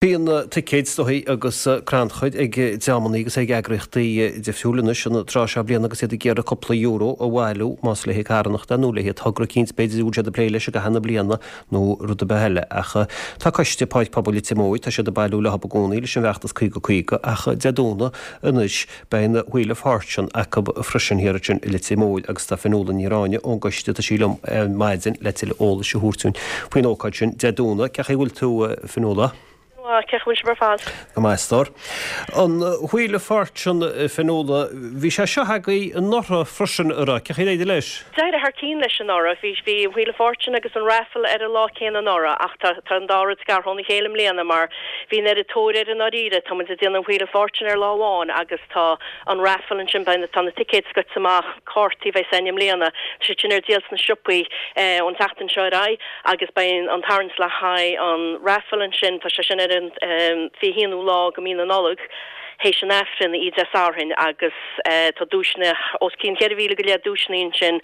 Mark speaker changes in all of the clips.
Speaker 1: Bíonn ticéid is dóichí agus crannchuir ag dreamannaí agus ag eagraíochtaí difriúla anois an tráth seo bliana agus iad ag iarraidh cúpla euro a bhailiú, más le haghaidh carthanachta nó le haghaidh togra eicínt b'fhéidir a bhfuil siad ag plé leis i gcaitheamh na bliana nó rud ar bith eile. Ach tá coiste Páirc Pobail Leitir Móir, tá siad ag bailiú leo i gcónaí leis an bhfeachtas 50 50 ach Dé Domhnaigh anois beidh an Wheel of Fortune acu freisin thiar ansin i Leitir Móir agus tá Fionnuala Ní Ráinne ón gcoiste, tá sí liom ar maidin le tuilleadh eolais a thabhairt dúinn faoin ócáid sin Dé Domhnaigh. Cén chaoi a bhfuil tú, a Fionnuala?
Speaker 2: Go maith, cén chaoi a bhfuil sibh ar fad?
Speaker 1: Go maith, a stór. An Wheel of Fortune, a Fionnuala, bhí sé seo agaibh anuraidh freisin, an raibh? Cén chaoi ar éirigh leis?
Speaker 2: D'éirigh thar cionn leis anuraidh. Bhí, bhí an Wheel of Fortune agus an raffle ar an lá céanna anuraidh ach tá, tá an dá rud scartha óna chéile i mbliana mar Bhí an oiread tóir air i ndáiríre. Tá muid ag déanamh an Wheel of Fortune ar lá amháin agus tá an raffle ansin, beidh na, tá na ticéid scoite amach, cártaí a bheas againn i mbliana, tá siad sin ar díol sna siopaí ón tseachtain seo ar aghaidh agus beidh an tarraingt le haghaidh an raffle ansin, tá sé sin ar an 21ú lá de mhí na Nollag théis an Aifrinn, oíche Dé Sathairn agus tá duaiseanna, os cionn 4,000 go leith duaiseanna ansin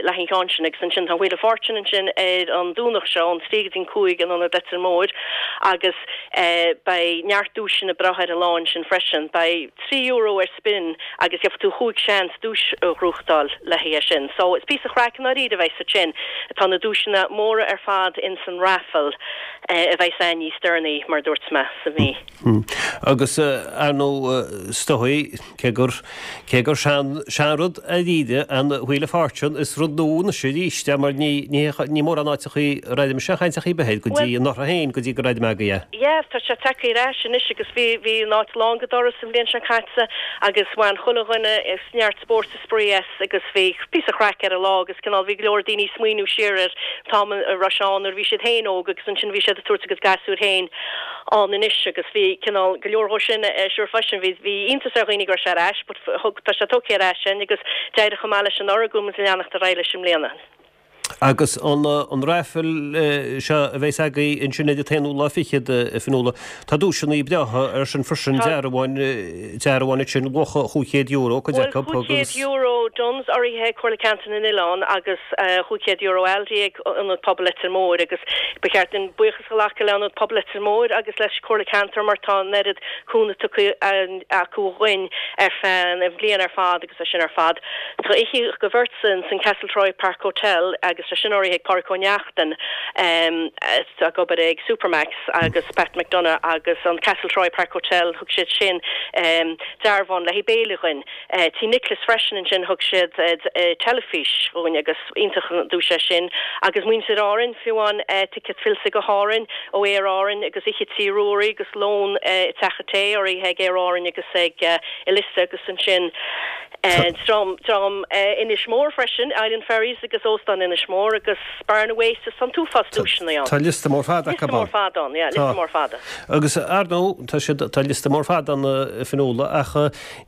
Speaker 2: le haghaidh an cheann sin agus ansin tá an Wheel of Fortune ansin ar an Domhnach seo ón 3 go dtí an 5 in Ionad Leitir Móir agus beidh neart duaiseanna breátha ar an lá ansin freisin. Beidh €3 ar spin agus gheobhaidh tú chúig seans duais a ghnóthachtáil le haghaidh é sin. So is píosa chraic i ndáiríre a bheidh ansin. Tá na duaiseanna móra ar fad ins an raffle a bheidh againn níos deireanaí mar a dúirt mé sa mhí.
Speaker 1: Agus, ar ndóigh, is dóigh, cé gur, cé gur sean, seanrud dáiríre an Wheel of Fortune, is rud nua anois arís é mar ní, ní, ní mórán áiteachaí a raibh mise ag caint ar chaoi ar bith air go dtí anuraidh féin, go dtí go raibh mé agaibh é.
Speaker 2: Yeah, tá sé tagtha ar ais anois agus bhí, bhí an áit lán go doras an bhliain seo caite agus bhain chuile dhuine neart spóirt is spraoi as agus bhí píosa chraic ar an lá agus cineál bhí go leor daoine ag smaoineamh siar ar an t-am a raibh sé ann nuair a bhí siad féin óg agus ansin bhí siad ag tabhairt a gcuid gasúir féin ann anois agus bhí cineál go leor dhó sin ar siúl freisin. Bhí bhí iontas ar dhaoine go raibh sé ar ais but thug tá sé tugtha ar ais againn agus d'éirigh chomh maith leis anuraidh go bhfuil muid ag leanacht ar aghaidh leis i mbliana.
Speaker 1: Agus an an raffle seo a bheas agaibh ansin ar an t-aonú lá fichead, a Fionnuala, tá duaiseanna breátha air sin freisin, dearbháin, dearbháin ansin, luach €500, cuid
Speaker 2: Bhuel,
Speaker 1: acu, agus.
Speaker 2: €500 Dunnes urraithe ag Comhairle Ceantair na nOileán agus €500 Aldi ag Ionad Pobail Leitir Móir agus ba cheart dúinn buíochas a ghlacadh le Ionad Pobail Leitir Móir agus leis Comhairle Ceantair mar tá an oiread cúnamh tugtha acu dhuinn ar feadh an bhliain ar fad agus é sin ar fad. Tá oíche do bheirt san san Castletroy Park Hotel agus tá sin urraithe ag Pádraic Ó Neachtain atá ag obair ag Supermac's agus Pat McDonagh agus an Castletroy Park Hotel thug siad sin dearbhán le haghaidh béile dhuinn. Tí Nicholas freisin ansin thug siad teilifís dhúinn agus iontach an duais é sin agus muintir Árainn fiú amháin ticéad fillte go hÁrainn ó Aer Árainn agus oíche Tí Ruairí agus lón i dTeach an Tae urraithe ag Aer Árainn agus ag Elista agus ansin dream dream Inis Mór freisin, Island Ferries agus Óstán Inis Mór agus Barna Waste tá an t-uafás duaiseanna ann.
Speaker 1: Tá liosta mór fada acu
Speaker 2: Liosta mór
Speaker 1: ann.
Speaker 2: fada ann, yeah,
Speaker 1: Tá.
Speaker 2: liosta mór fada.
Speaker 1: Agus ar ndóigh, tá siad, tá liosta mór fada ann a Fionnuala ach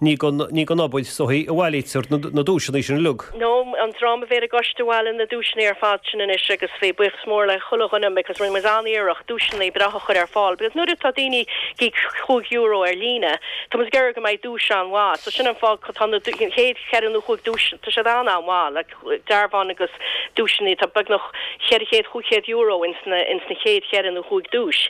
Speaker 1: ní gon, ní gon obair is dóichí a bhailítear na, na duaiseanna sin uilig.
Speaker 2: No, an dream a bhí ar an gcoiste a bhailigh na duaiseanna ar fad sin anois agus bhí buíochas mór le chuile dhuine because rinne muid an-iarracht duaiseanna breátha a chur ar fáil because nuair atá daoine ag íoc €5 ar líne, Tá muid ag iarraidh go mbeidh duais an-mhaith. So sin an fáth tá na chéad cheithre nó chúig duais, tá siad an-an-mhaith, like dearbhán agus duaiseanna, tá beagnach 400, €500 ins na, ins na chéad cheithre nó chúig duais.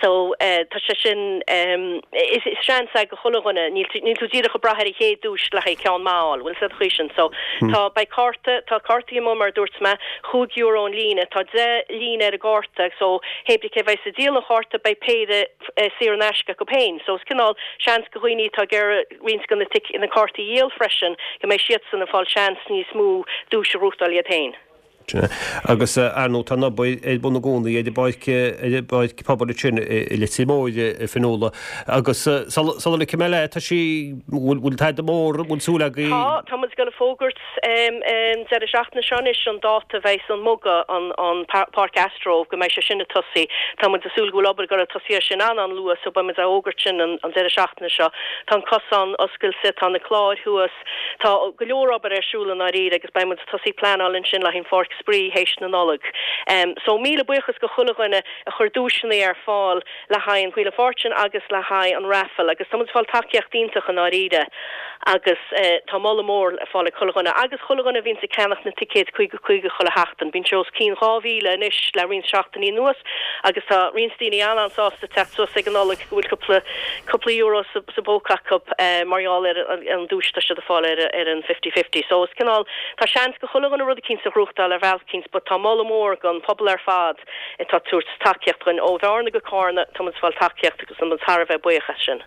Speaker 2: So tá sé sin, is seans é go chuile dhuine, níl, níl tú díreach ag brath ar an chéad duais le haghaidh ceann maith a fháil, bhfuil 's a'd an chaoi sin. So tá, beidh cárta, tá cártaí amuigh mar a dúirt mé, €5 an líne, tá 10 líne ar an gcárta so hé brí cé bheas ag díol an chárta beidh péire, saor in aisce acu féin. So is cineál seans go dhaoine atá ag iarraidh roinnt de na tic, na cártaí a dhíol freisin, go mbeidh siadsan ag fáil seans níos mó duais a ghnóthachtáil iad féin.
Speaker 1: Sin é. Agus ar ndóigh tá an obair ar bun i gcónaí ar an bpáirc, ar an bpáirc pobail ansin i Leitir Móir, a Fionnuala. Agus sula, sula ligfidh mé leat, tá sí, bhfuil, bhfuil tada mór, bhfuil súil agaibh?
Speaker 2: Tá, tá muid ag dul a fógairt an deireadh seachtaine seo anois an dáta a bheidhs an muga, an páirc Astro, go mbeidh sé sin ag tosaí. Tá muid ag súil go bhfuil obair ag dul ag tosaí air sin an-an-luath so beidh muid á fhógairt sin an deireadh seachtaine seo. Tá an cosán oscailte, tá na cláir thuas, tá go leor obair ar siúl i ndáiríre agus beidh muid ag tosaí pleanáil ansin le haghaidh an pháirc. Spraoi théis na Nollag. So míle buíochas go chuile dhuine a chuir duaiseanna ar fáil le haghaidh an Wheel of Fortune agus le haghaidh an raffle agus tá muid ag fáil tacaíocht iontach i ndáiríre agus tá moladh mór le fáil ag chuile dhuine agus chuile dhuine a bhíonns ag ceannach na ticéid 50 50 chuile sheachtain. Bíonn sé os cionn 2,000 anois le roinnt seachtainí anuas agus tá roinnt daoine an-an-sásta teacht suas ag an Nollaig go bhfuil cúpla cúpla euro sa sa bpóca acu mar gheall ar an duais atá siad ag fáil ar ar an fifty fifty. So is cineál tá seans go chuile dhuine rud eicínt a ghnóthachtáil ar bhealach eicínt but tá moladh mór don phobal ar fad atá ag tabhairt tacaíocht dhuinn ó Bhearna go Cárna, tá muid ag fáil tacaíocht agus tá muid thar a bheith buíoch as sin.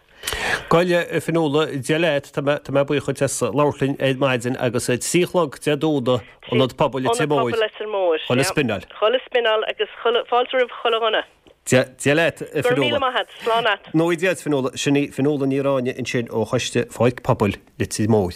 Speaker 1: Bhuel, a Fionnuala, Dia leat, tá mé, tá mé buíoch dhuit as labhairt linn ar maidin agus 3 a chlog Dé Domhnaigh, Ionad Pobail Leitir
Speaker 2: Móir. Ionad Pobail Leitir Móir,
Speaker 1: Chuile spinneáil.
Speaker 2: Chuile spinneáil agus chuile, fáilte roimh chuile dhuine.
Speaker 1: Dia, Dia leat, a
Speaker 2: Go raibh míle maith a't, slán
Speaker 1: a't. Nó Dia duit, Fionnuala, sin í Fionnuala Ní Ráinne ansin ó Choiste Pháirc Pobail Leitir Móir.